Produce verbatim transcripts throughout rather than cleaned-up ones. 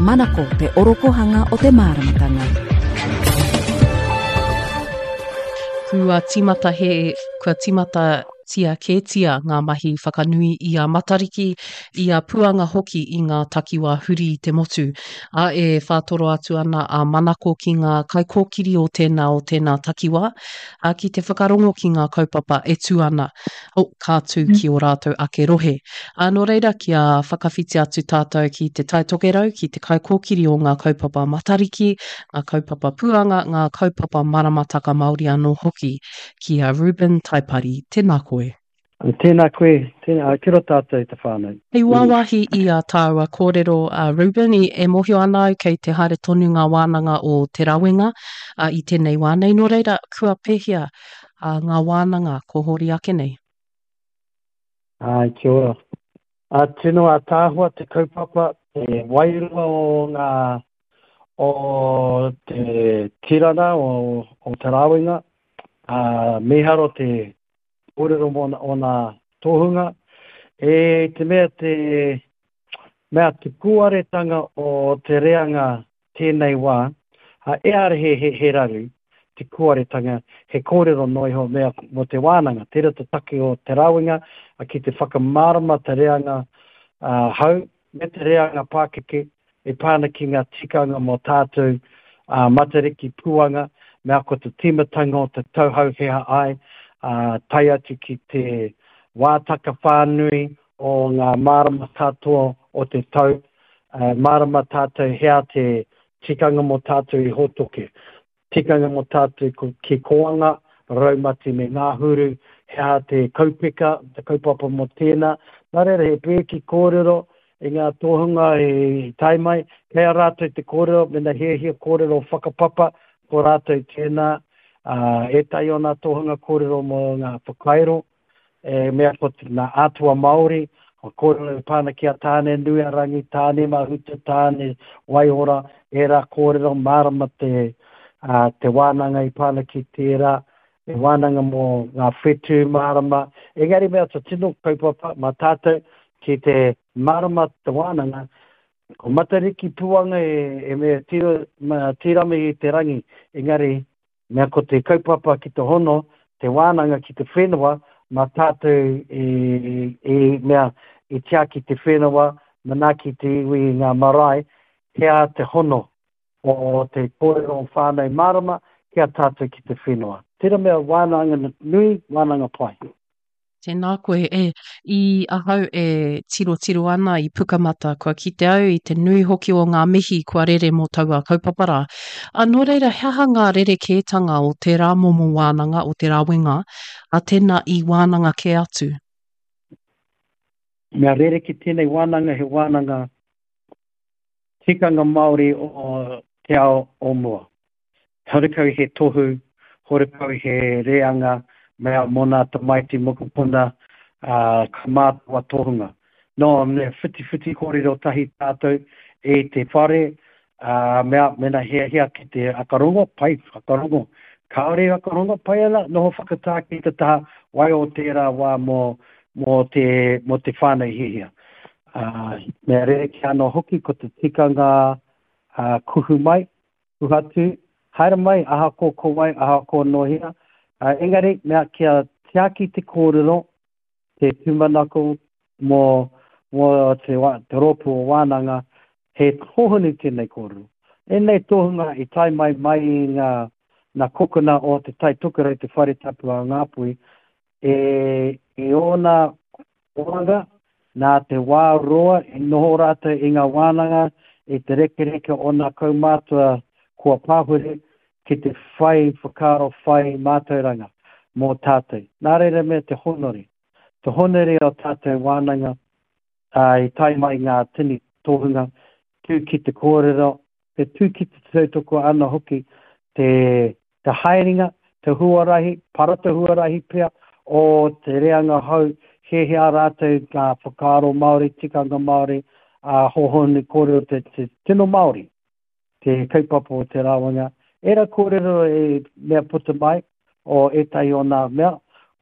Manako te orokohanga o te māramatanga. Kua tīmata he, kua tīmata tia kētia ngā mahi whakanui i a Matariki, i a Puanga hoki i ngā takiwā huri i te motu. Ā, e whātoro atu ana a Manako ki ngā kaikōkiri o tēnā o tēnā takiwā, ā, ki te whakarongo ki ngā kaupapa e tū ana, oh, ka tū ki ō rātou ake rohe. Ā, nō reira, kia whakawhiti atu tātou ki Te Tai Tokerau, ki te kaikōkiri o ngā kaupapa Matariki, ngā kaupapa Puanga, ngā kaupapa Maramataka Māori anō hoki, ki a Reuben Taipari. Tēnā koe. Tēnā koe, tēnā, kia ora tātou te whānau. Hei wāwāhi i ā tāua kōrero, a Reuben, i, e mōhio ana au kei te haere tonu ngā wānanga o Te Rawenga ā, i tēnei wā nei. Nō reira, kua pēhea ā, ngā wānanga ko hori ake nei? Āe, kia ora. Ā, tino ātaahua te kaupapa, te wairua o ngā, o te tirana o, o Te Rawenga. Ā, mīharo te kōrero mō ōna tohunga. E te mea te mea te kūaretanga o te reanga tēnei wā, ā, ehara he, he, he raru, te kūaretanga, he kōrero noa iho mea mō te wānanga. Tērā te take o Te Rawenga ki te whakamārama te reanga ā, hou me te reanga pākeke e pā ana ki ngā tikanga mō tātou ā, Matariki Puanga, mea ko te tīmatanga o te tau hou he aha ai, ā, tae atu ki te wātaka whānui o ngā marama katoa o te tau, ā, mārama tātou he aha te tikanga mō tātou i Hōtoke, tikanga mō tātou ko, ki Kōanga, Raumati me Ngāhuru, he aha te kaupeka, te kaupapa mō tēnā. Nā reira, he pēki kōrero i ngā tohunga i tae mai, kei a rātou te kōrero, mēnā hiahia kōrero whakapapa, ko rātou tēnā, ā, ētahi o ngā tohunga kōrero mō ngā whakairo, e mea ko ngā atua Māori, ko kōrero e pā ana ki a Tāne Nui-a-Rangi, Tāne Mahuta, Tāne Waiora, ērā kōrero mārama te, ā, te wānanga i pā ana ki tērā, e wānanga mō ngā whetū mārama. Engari mea te tino kaupapa mā tātou ki te mārama te wānanga, ko Matariki Puanga e, e mea tiro, ma, tīrami i te rangi, engari mea ko te kaupapa ki te hono, te wānanga ki te whenua, mā tātou i, i mea i tiaki te whenua, manaaki te iwi i ngā marae, he aha te hono o te kōrero o Whānau Mārama ki a tātou ki te whenua. Tērā mea wānanga nui, wānanga pai. Tēnā koe. E, i ahau e tirotiro ana i Pukamata, kua kite au i te nui hoki o ngā mihi kua rere mō taua kaupapa rā. A, nō reira, he aha ngā rerekētanga o tērā momo wānanga, o te rawenga, a tēnā i wānanga kē atu? Mea rerekē tēnei wānanga, he wānanga tikanga Māori o te ao o mua. Horekau he tohu, horekau he reanga mea mō nā tamaiti mokopuna, ā, ka mātawa tohunga. Nō, me whitiwhiti kōrero tahi tātou i te whare, ā, mea, mēnā hiahia ki te whakarongo, pai, whakarongo. Kāore i whakarongo, pai ana, noho whakatā ki te taha, waiho tērā wā mō, mō te, mō te whānau hiahia. Ā, mea rerekē anō hoki ko te tikanga, ā, kuhu mai, Tuhatu, haere mai, ahakoa ko wai, ahakoa nō hea. Engari, mea kia tiaki te kōrero, te tūmanako mō, mō te, te rōpū o wānanga, he hōhonu tēnei kōrero. Ēnei tohunga i tae mai mai i ngā, ngā kokona o Te Tai Tokerau, Te Whare Tapu a Ngāpuhi, e, i ōna oranga, nā te wā roa i noho rātou i ngā wānanga i te rekereke o nā kaumātua kua pahure ki te whai whakaaro whai mātauranga mō tātou. Nā reira mea te honore, te honore o tātou wānanga, ā, i tae mai ngā tini tohunga, tū ki te kōrero, te tū ki te tautoko ana hoki te, te haerenga, te huarahi, para te huarahi pea o te reanga hou, he hea rātou ngā whakaaro Māori, tikanga Māori, ā, hōhonu kōrero te, te tino Māori, te kaupapa o te rāwanga. Ērā kōrero e mea puta mai o ētahi o nā mea,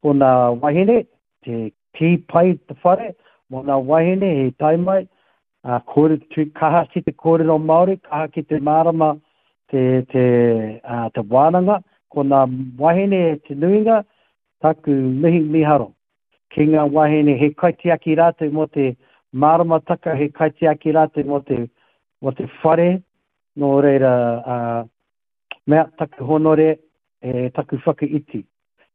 ko nā wahine, te kī pai te whare, mō nā wahine he tae mai, uh, kōre, tu, kaha ki te kōrero Māori, kaha ki te mārama te, te, uh, te wānanga, ko ngā wahine e te nuinga, taku mihi miharo. Ki ngā wahine he kaitiaki rātou mō te māramataka, he kaitiaki rātou mō te, mō te whare, nō reira, uh, mea taku honore, e taku whakaiti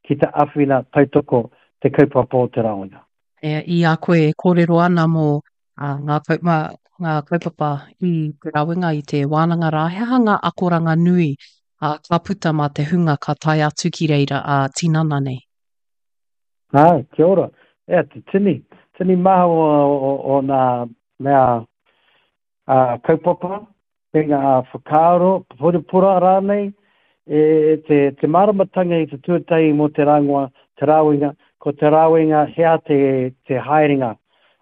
ki te awhina tautoko te kaupapa o te rawenga. E, i a koe e kōrero ana mō uh, ngā, kaupapa, ngā kaupapa i te rawenga i te wānanga rā, he aha ngā akoranga nui uh, ka puta mā te hunga ka tae atu ki reira a uh, tinana nei? Ai, kia ora. E, te tini, tini maha o, o, o nā mea uh, kaupapa, me ngā whakaaro, purapura rānei, e te, te māramatanga i te tuatahi mō te rāngoa, te rāwenga, ko te rāwenga hea te, te haerenga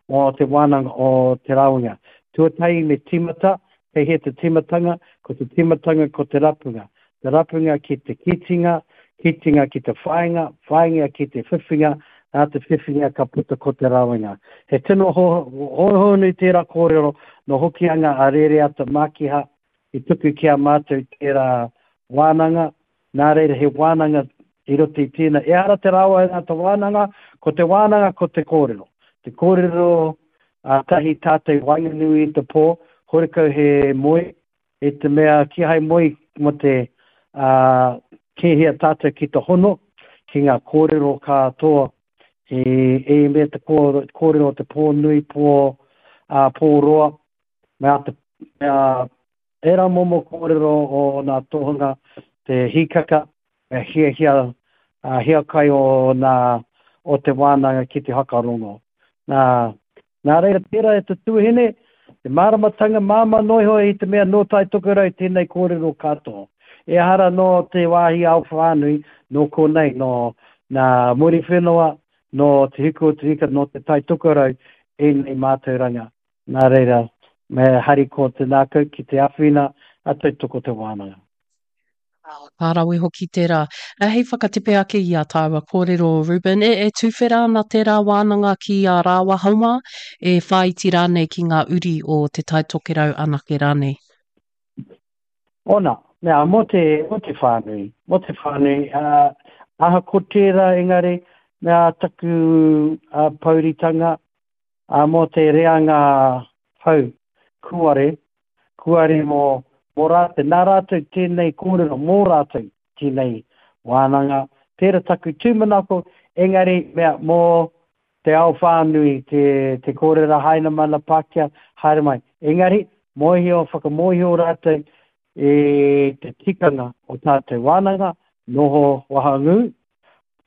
o te wānanga o te rāwenga. Tuatahi me tīmata, kei hea te tīmatanga, ko te tīmatanga ko te rapunga. Te rapunga ki te kitinga, kitinga ki te whāinga, whāinga ki te whiwhinga, nā te whiwhinga ka puta ko te rāwenga. He tino hōhonu tērā kōrero no Hokianga a Rereata Mākiha i tuku ki a mātou tērā wānanga, nā reira he wānanga i roto i tēnā. Ehara te rawenga te wānanga, ko te wānanga ko te kōrero. Te kōrero a tahi tātou waenganui i te pō, horekau he moe, e te mea kihai moe mo te uh, kēhia tātou ki te hono, ki ngā kōrero katoa, e, e mea te kōrero te pō nui, pō, uh, pō roa, mea te mea era momo kōrero o nā tohunga te hikaka, me hiahia uh, hiakai o nā o te wānanga ki te hakarongo. Nā, nā reira tērā e te tuahine, te māramatanga māmā noa iho i te mea nō Tai Tokerau tēnei kōrero katoa. Ehara nō te wāhi ao whānui, nō konei, nō nā Muriwhenua, nō Te Hiku o Te Ika, nō te Tai Tokerau ēnei mātauranga. Nā reira, me harikoa te ngākau ki te awhina a tautoko te wānanga. Ka rawe hoki tērā. Hei whakatepe ake i a tāua kōrero, Ruben, e, e tuwhera ana tērā wānanga ki a rāwaho mā, e whāiti rānei ki ngā uri o Te Tai Tokerau anake rānei? Ona, mea, mō te, mō te whānui, mō te whānui, uh, ahakoa tērā engari, mea taku uh, pouritanga, uh, mō te reanga hau, kuare, kuare mō, mō rātou, nā rātou tēnei kōrero, mō rātou tēnei wānanga, tērā taku tūmanako, engari mea mō te ao whānui, te, te kōrero Hainamana Pākehā, haere mai. Engari, mōhio, whakamōhio rātou e te tikanga o tātou wānanga, noho wahangū,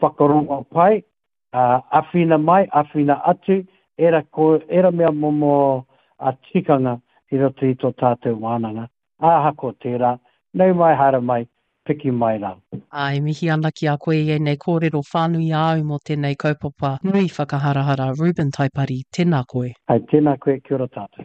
whakarongo pai, uh, awhina mai, awhina atu, era, ko, era mea momo a tikanga i roto i tō tātou wānanga. Ahakoa tērā, nau mai haere mai, piki mai rā. Ā, e mihi ana ki a koe i ēnei kōrero whānui āu mō tēnei kaupapa nui whakaharahara Reuben Taipari, tēnā koe. Hai, tēnā koe, kia ora tātou.